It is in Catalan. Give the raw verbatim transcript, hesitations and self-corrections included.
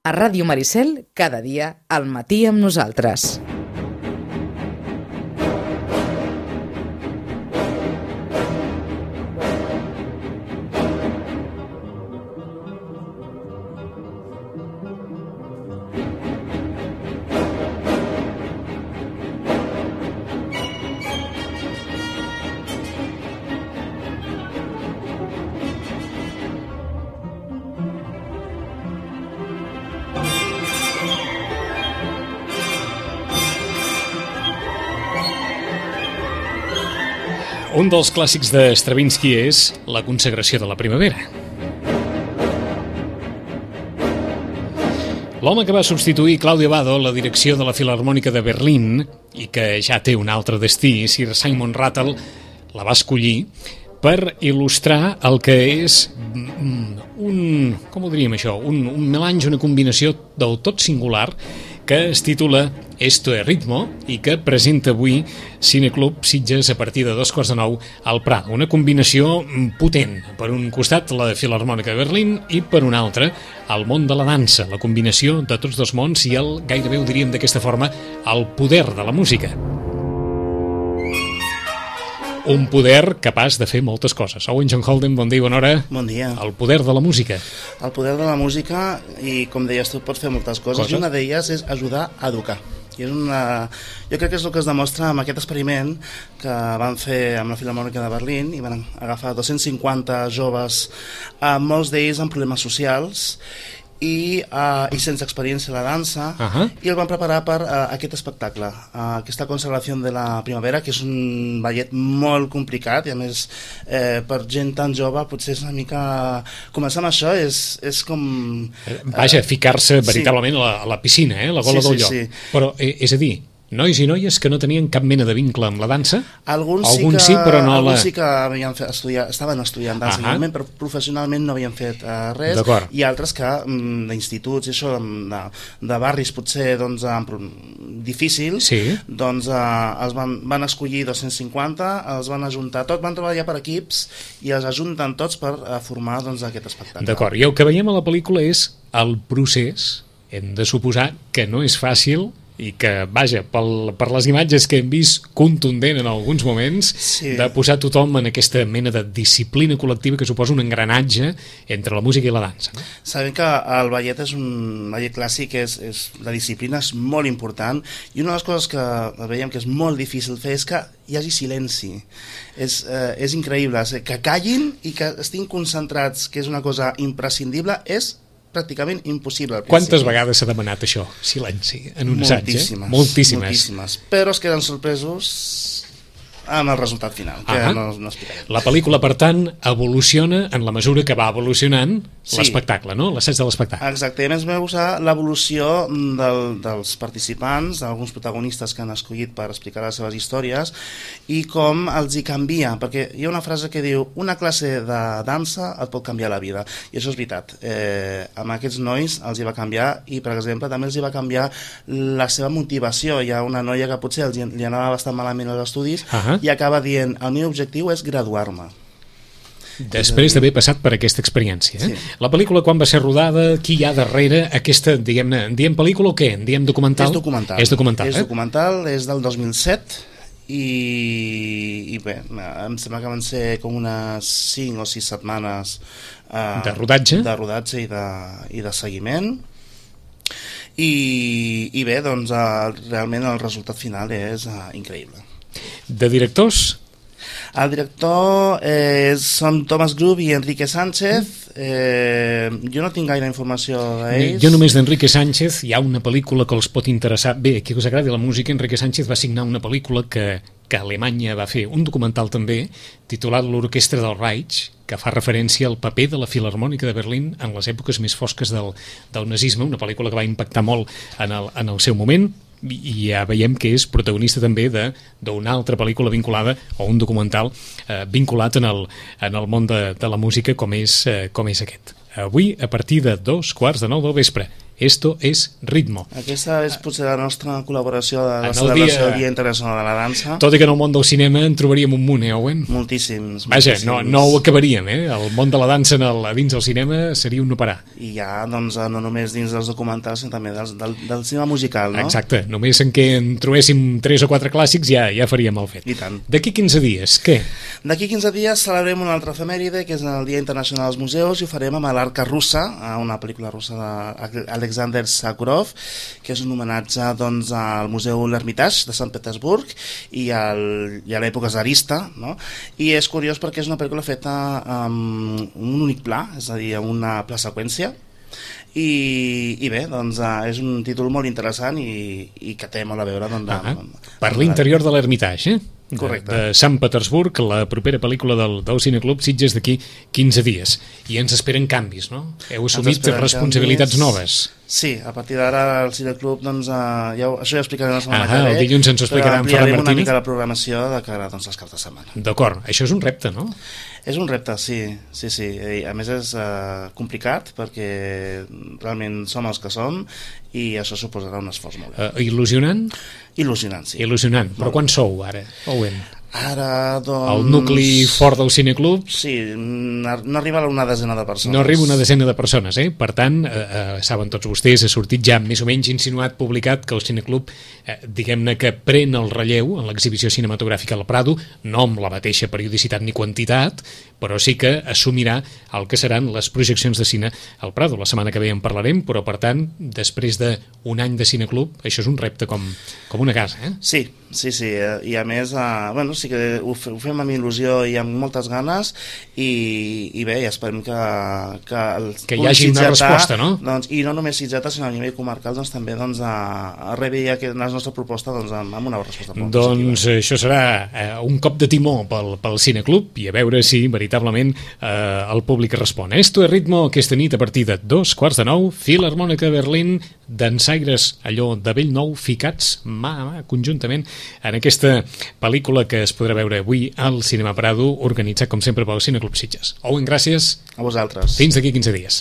A Ràdio Maricel, cada dia, al matí amb nosaltres. Un dels clàssics de Stravinsky és La consagració de la primavera. L'home que va substituir Claudio Abbado a la direcció de la Filharmònica de Berlín i que ja té un altre destí, Sir Simon Rattle, la va escollir per il·lustrar el que és un, com ho diríem això, un, un melange, una combinació del tot singular que es titula Esto es ritmo i que presenta avui Cineclub Sitges a partir de dos quarts de nou al Prat. Una combinació potent. Per un costat la Filharmònica de Berlín i per un altre el món de la dansa, la combinació de tots dos mons i el, gairebé ho diríem d'aquesta forma, el poder de la música. Un poder capaç de fer moltes coses. Owen John Holden, bon dia i bona hora. Bon dia. El poder de la música. El poder de la música, i com deies tu, pots fer moltes coses, coses? I una d'elles és ajudar a educar. I és una... Jo crec que és el que es demostra amb aquest experiment que van fer amb la Filharmònica de Berlín i van agafar dos-cents cinquanta joves, eh, molts d'ells amb problemes socials i, uh, i sense experiència a la dansa, uh-huh. i el van preparar per uh, aquest espectacle, uh, aquesta consagració de la primavera, que és un ballet molt complicat i a més eh, per gent tan jove potser és una mica... Començar amb això és, és com... Vaja, uh, ficar-se veritablement sí. a, la, a la piscina, eh? La gola sí, del lloc. Sí, sí. Però, eh, és a dir, nois i noies que no tenien cap mena de vincle amb la dansa? Alguns, alguns sí, que, sí, però no alguns la... sí que havien fet, estudiar, estaven estudiant dansa, uh -huh. però professionalment no havien fet uh, res, i altres que mm, d'instituts i això, de, de barris potser doncs, difícils, sí. doncs uh, els van, van escollir dos-cents cinquanta, els van ajuntar tots, van treballar per equips i els ajunten tots per uh, formar doncs, aquest espectacle. D'acord, i el que veiem a la pel·lícula és el procés, hem de suposar que no és fàcil i que, vaja, pel, per les imatges que hem vist contundent en alguns moments, sí. de posar tothom en aquesta mena de disciplina col·lectiva que suposa un engranatge entre la música i la dansa. No? Sabem que el ballet és un ballet clàssic, és, és, la disciplina és molt important, i una de les coses que veiem que és molt difícil fer és que hi hagi silenci. És, eh, és increïble, que callin i que estiguin concentrats, que és una cosa imprescindible, és pràcticament impossible. Quantes vegades s'ha demanat això? Silenci en un assaig, eh? Moltíssimes. Moltíssimes. Però es queden sorpresos amb el resultat final, que uh-huh. no, no explicarem. La pel·lícula, per tant, evoluciona en la mesura que va evolucionant sí. l'espectacle, no? L'assaig de l'espectacle. Exacte, a més vam usar l'evolució del, dels participants, d'alguns protagonistes que han escollit per explicar les seves històries, i com els hi canvia, perquè hi ha una frase que diu una classe de dansa et pot canviar la vida, i això és veritat. Eh, amb aquests nois els hi va canviar, i per exemple també els hi va canviar la seva motivació. Hi ha una noia que potser els, li anava bastant malament als estudis, uh-huh. i acaba dient, el meu objectiu és graduar-me. Després d'haver passat per aquesta experiència. Eh? Sí. La pel·lícula quan va ser rodada, qui hi ha darrere aquesta, diguem-ne, en diem pel·lícula o què? En diem documental? És documental. És documental, és eh? documental, és del dos mil set, i, i bé, em sembla que van ser com unes cinc o sis setmanes eh, de rodatge, de rodatge i, de, i de seguiment. I, i bé, doncs eh, realment el resultat final és eh, increïble. De directors? El director eh, són Thomas Grub i Enrique Sánchez. Eh, jo no tinc gaire informació d'ells. Jo només d'Enrique Sánchez. Hi ha una pel·lícula que els pot interessar. Bé, qui us agradi la música, Enrique Sánchez va signar una pel·lícula que, que Alemanya va fer, un documental també, titulat L'Orquestra del Reich, que fa referència al paper de la Filharmònica de Berlín en les èpoques més fosques del, del nazisme, una pel·lícula que va impactar molt en el, en el seu moment, i ja veiem que és protagonista també d'una altra pel·lícula vinculada o un documental eh, vinculat en el, en el món de, de la música com és, eh, com és aquest. Avui, a partir de dos quarts de nou del vespre, Esto es Ritmo. Aquesta és potser la nostra col·laboració de la En el celebració dia- del Dia Internacional de la Dansa. Tot i que en el món del cinema en trobaríem un munt, eh, Owen? Moltíssims. Vaja, moltíssims. no, no ho acabaríem, eh? El món de la dansa en el, a dins del cinema seria un no parar. I ja, doncs, no només dins dels documentals, sinó també dels, del, del cinema musical, no? Exacte, només en què en trobéssim tres o quatre clàssics ja ja faríem el fet. I tant. D'aquí quinze dies, què? D'aquí quinze dies celebrem una altra efemèride, que és el Dia Internacional dels Museus, i ho farem amb l'Arca Russa, una pel·lícula russa d'Alexander Sakurov, que és un homenatge doncs, al Museu L'Hermitage de Sant Petersburg i, al, i a l'època zarista, no? I és curiós perquè és una pel·lícula feta amb un únic pla, és a dir, amb una pla seqüència, i, i bé, doncs uh, és un títol molt interessant i, i que té molt a veure doncs, Ah, amb, amb, per l'interior de l'Hermitage, eh? Correcte. De, de Sant Petersburg, la propera pel·lícula del, del Cineclub Sitges d'aquí quinze dies. I ens esperen canvis, no? Heu assumit esperen responsabilitats canvis. noves. Sí, a partir d'ara el Cineclub, doncs, uh, ja, ho- això ja ho explicarem la setmana Ah, que ve. el dilluns ens ho explicarà en però Ferran ampliarem una Martínez. mica la programació de cara doncs, als caps de setmana. D'acord, això és un repte, no? És un repte, sí, sí, sí. I, a més és uh, complicat perquè realment som els que som i això suposarà un esforç molt gran. Uh, il·lusionant? Il·lusionant, sí. Il·lusionant. Però Molt. quan sou, ara, Owen? Ara, doncs... El nucli fort del Cineclub Sí, no no arriba a una desena de persones. no arriba una desena de persones, eh? Per tant, eh, eh, saben tots vostès, ha sortit ja més o menys insinuat, publicat, que el Cineclub, eh, diguem-ne que pren el relleu en l'exhibició cinematogràfica al Prado, no amb la mateixa periodicitat ni quantitat, però sí que assumirà el que seran les projeccions de cine al Prado. La setmana que ve en parlarem, però per tant, després d'un any de Cineclub, això és un repte com, com una casa, eh? Sí, sí, sí, eh, i a més, eh, bueno, sí que ho, fe, ho fem amb il·lusió i amb moltes ganes i, i bé, i esperem que que, el Que hi hagi una resposta, no? Doncs, i no només sitgetà, sinó a nivell comarcal, doncs també doncs, a, a rebre ja que la nostra proposta doncs, amb, amb una resposta molt Doncs eh, això serà eh, un cop de timó pel, pel Cineclub i a veure si veritablement eh, el públic respon. Esto es Ritmo, aquesta nit a partir de dos quarts de nou, Filharmònica de Berlín, dansaires allò de bell nou ficats mà a mà conjuntament en aquesta pel·lícula que es podrà veure avui al Cinema Prado, organitzat com sempre pel Cineclub Sitges. Owen, gràcies. A vosaltres. Fins d'aquí quinze dies.